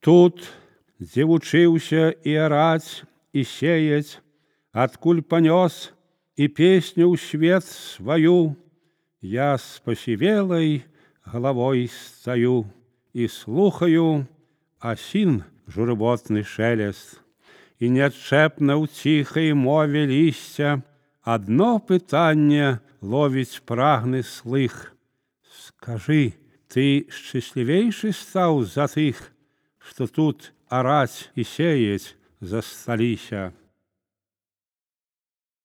Тут, дзе вучыўся і араць, і сеяць, адкуль панёс і песню ў свет сваю, я з пасівелай галавой стаю і слухаю асін журботны шелест, і неадчэпна ў ціхай мове лісця адно пытанне ловіць прагны слых. Скажы, ты шчаслівейшы стаў за тых, што тут араць і сеяць засталіся?